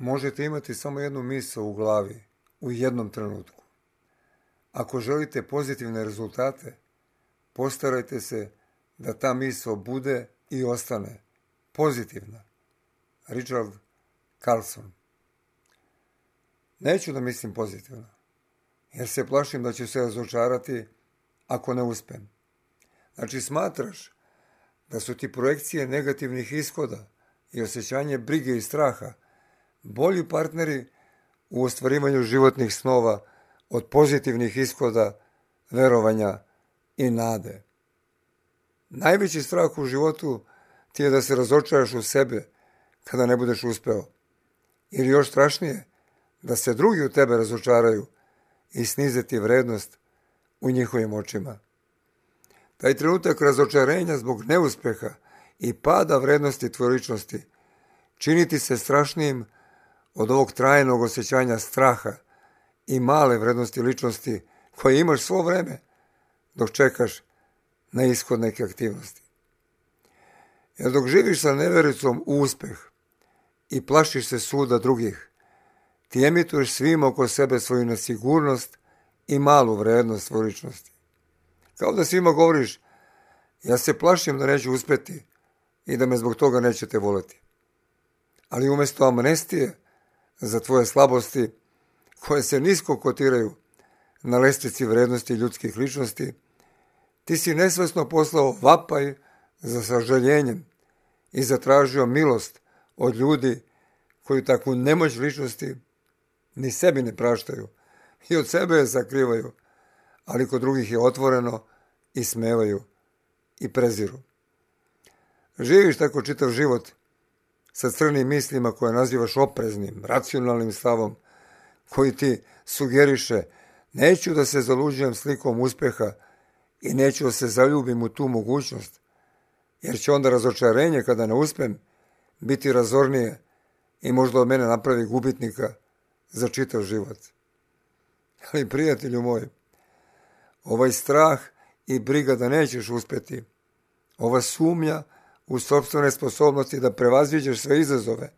možete imati samo jednu misao u glavi u jednom trenutku. Ako želite pozitivne rezultate, postarajte se da ta misao bude i ostane pozitivna. Richard Carlson. Neću da mislim pozitivno, jer se plašim da ću se razočarati ako ne uspem. Znači, smatraš da su ti projekcije negativnih ishoda i osjećanje brige i straha bolji partneri u ostvarivanju životnih snova od pozitivnih ishoda, verovanja i nade. Najveći strah u životu ti je da se razočaraš u sebe kada ne budeš uspeo. Ili još strašnije, da se drugi u tebe razočaraju i snize ti vrednost u njihovim očima. Taj trenutak razočarenja zbog neuspeha i pada vrednosti tvoje ličnosti čini ti se strašnijim od ovog trajnog osjećanja straha i male vrednosti ličnosti koje imaš svo vreme dok čekaš na ishod neke aktivnosti. Jer dok živiš sa nevericom u uspeh i plašiš se suda drugih, ti emituješ svim oko sebe svoju nesigurnost i malu vrednost svoje ličnosti. Kao da svima govoriš, ja se plašim da neću uspjeti i da me zbog toga nećete voleti. Ali umjesto amnestije za tvoje slabosti, koje se nisko kotiraju na lestvici vrednosti ljudskih ličnosti, ti si nesvesno poslao vapaj za sažaljenjem i zatražio milost od ljudi koji takvu nemoć ličnosti ni sebi ne praštaju i od sebe je sakrivaju, ali kod drugih je otvoreno i smevaju i preziru. Živiš tako čitav život sa crnim mislima koje nazivaš opreznim, racionalnim stavom, koji ti sugeriše neću da se zaluđujem slikom uspeha i neću da se zaljubim u tu mogućnost, jer će onda razočarenje kada ne uspem biti razornije i možda od mene napravi gubitnika za čitav život. Ali prijatelju moj, ovaj strah i briga da nećeš uspjeti, ova sumnja u sopstvene sposobnosti da prevaziđeš sve izazove,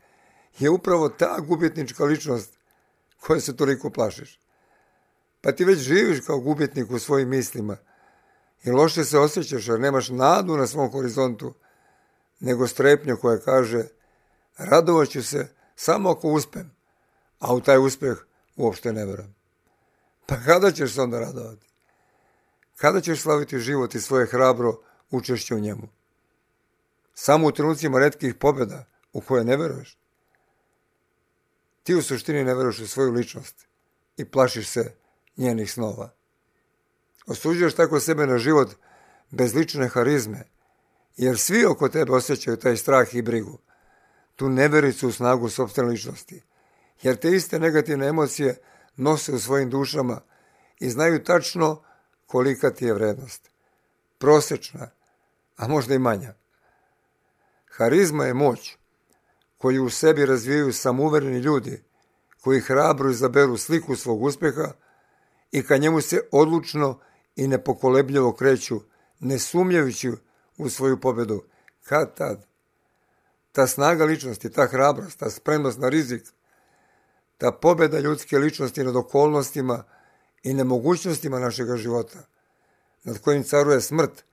je upravo ta gubitnička ličnost koje se toliko plašiš. Pa ti već živiš kao gubitnik u svojim mislima i loše se osjećaš jer nemaš nadu na svom horizontu, nego strepnju koja kaže radovat ću se samo ako uspem, a u taj uspjeh uopšte ne verujem. Pa kada ćeš se onda radovati? Kada ćeš slaviti život i svoje hrabro učešće u njemu? Samo u trenucima retkih pobjeda u koje ne veruješ? Ti u suštini ne veruješ u svoju ličnost i plašiš se njenih snova. Osuđuješ tako sebe na život bez lične harizme, jer svi oko tebe osjećaju taj strah i brigu, tu nevericu u snagu sopstvene ličnosti, jer te iste negativne emocije nose u svojim dušama i znaju tačno kolika ti je vrednost. Prosječna, a možda i manja. Harizma je moć koju u sebi razvijaju samouvereni ljudi koji hrabro izaberu sliku svog uspjeha i ka njemu se odlučno i nepokolebljivo kreću, ne sumnjajući u svoju pobjedu. Kad tad? Ta snaga ličnosti, ta hrabrost, ta spremnost na rizik, ta pobjeda ljudske ličnosti nad okolnostima i nemogućnostima našega života, nad kojim caruje smrt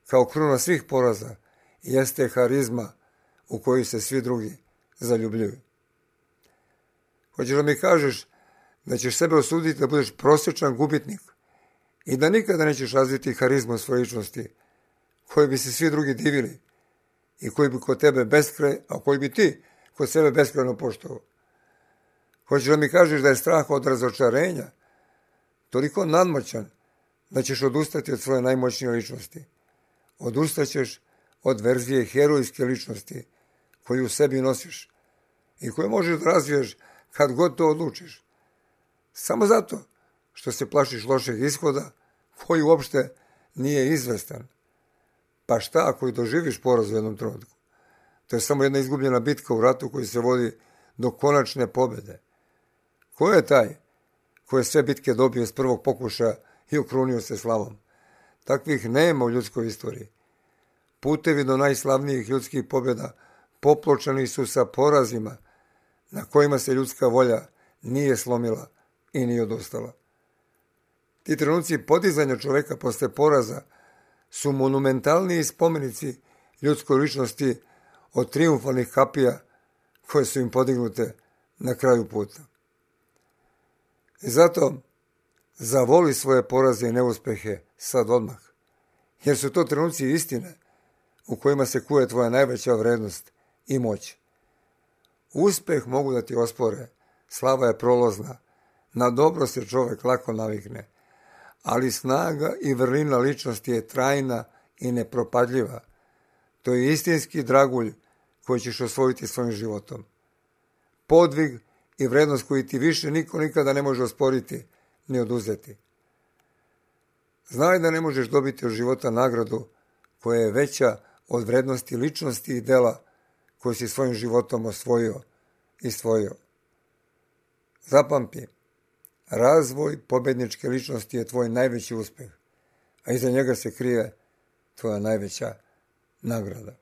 kao kruna svih poraza, jeste harizma u koju se svi drugi zaljubljuju. Hoćeš da mi kažeš da ćeš sebe osuditi da budeš prosječan gubitnik i da nikada nećeš razviti harizmu svoje ličnosti koji bi se svi drugi divili i koji bi kod tebe a koji bi ti kod sebe beskrajno poštovao. Hoćeš da mi kažeš da je strah od razočarenja toliko nadmoćan da ćeš odustati od svoje najmoćnije ličnosti. Odustaćeš od verzije herojske ličnosti koju u sebi nosiš i koju možeš da razviješ kad god to odlučiš. Samo zato što se plašiš lošeg ishoda koji uopšte nije izvestan. Pa šta ako i doživiš poraz u jednom trenutku? To je samo jedna izgubljena bitka u ratu koji se vodi do konačne pobjede. Ko je taj koji je sve bitke dobio s prvog pokušaja i okrunio se slavom? Takvih nema u ljudskoj istoriji. Putevi do najslavnijih ljudskih pobjeda popločani su sa porazima, na kojima se ljudska volja nije slomila i nije odustala. Ti trenuci podizanja čoveka posle poraza su monumentalniji spomenici ljudskoj ličnosti od trijumfalnih kapija koje su im podignute na kraju puta. I zato zavoli svoje poraze i neuspehe sad odmah, jer su to trenuci istine u kojima se kuje tvoja najveća vrednost i moć. Uspeh mogu da ti ospore, slava je prolazna, na dobro se čovek lako navikne, ali snaga i vrlina ličnosti je trajna i nepropadljiva. To je istinski dragulj koji ćeš osvojiti svojim životom. Podvig i vrednost koju ti više niko nikada ne može osporiti ni oduzeti. Znaj da ne možeš dobiti od života nagradu koja je veća od vrednosti ličnosti i dela koje si svojim životom osvojio i stvorio. Zapamti, razvoj pobedničke ličnosti je tvoj najveći uspeh, a iza njega se krije tvoja najveća nagrada.